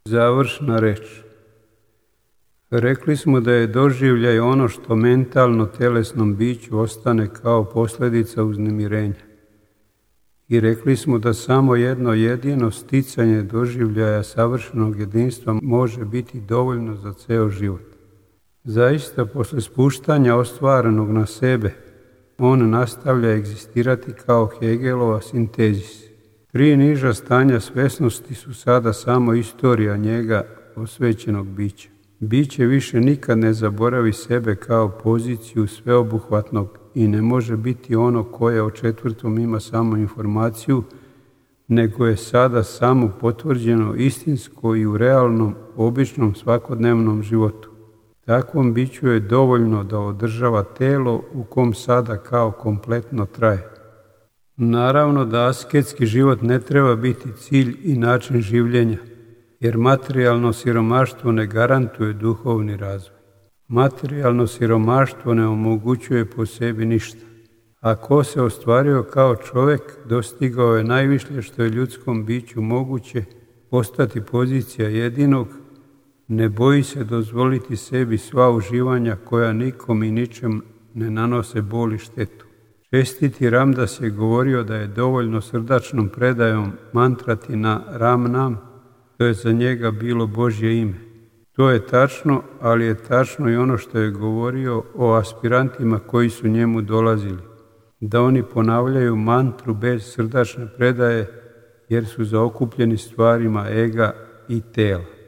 Završna reč. Rekli smo da je doživljaj ono što mentalno telesnom biću ostane kao posljedica uznemirenja. I rekli smo da samo jedno jedino sticanje doživljaja savršenog jedinstva može biti dovoljno za ceo život. Zaista, posle spuštanja ostvarenog na sebe, on nastavlja egzistirati kao Hegelova sintezis. Tri niža stanja svesnosti su sada samo istorija njega, osvećenog bića. Biće više nikad ne zaboravi sebe kao poziciju sveobuhvatnog i ne može biti ono koje o četvrtom ima samo informaciju, nego je sada samo potvrđeno istinsko i u realnom, običnom svakodnevnom životu. Takvom biću je dovoljno da održava telo u kom sada kao kompletno traje. Naravno da asketski život ne treba biti cilj i način življenja, jer materijalno siromaštvo ne garantuje duhovni razvoj. Materijalno siromaštvo ne omogućuje po sebi ništa. A ko se ostvario kao čovjek, dostigao je najviše što je ljudskom biću moguće, postati pozicija jedinog, ne boji se dozvoliti sebi sva uživanja koja nikom i ničem ne nanose bol i štetu. Čestiti Ramdas je govorio da je dovoljno srdačnom predajom mantrati na Ram Nam, to je za njega bilo Božje ime. To je tačno, ali je tačno i ono što je govorio o aspirantima koji su njemu dolazili, da oni ponavljaju mantru bez srdačne predaje jer su zaokupljeni stvarima ega i tela.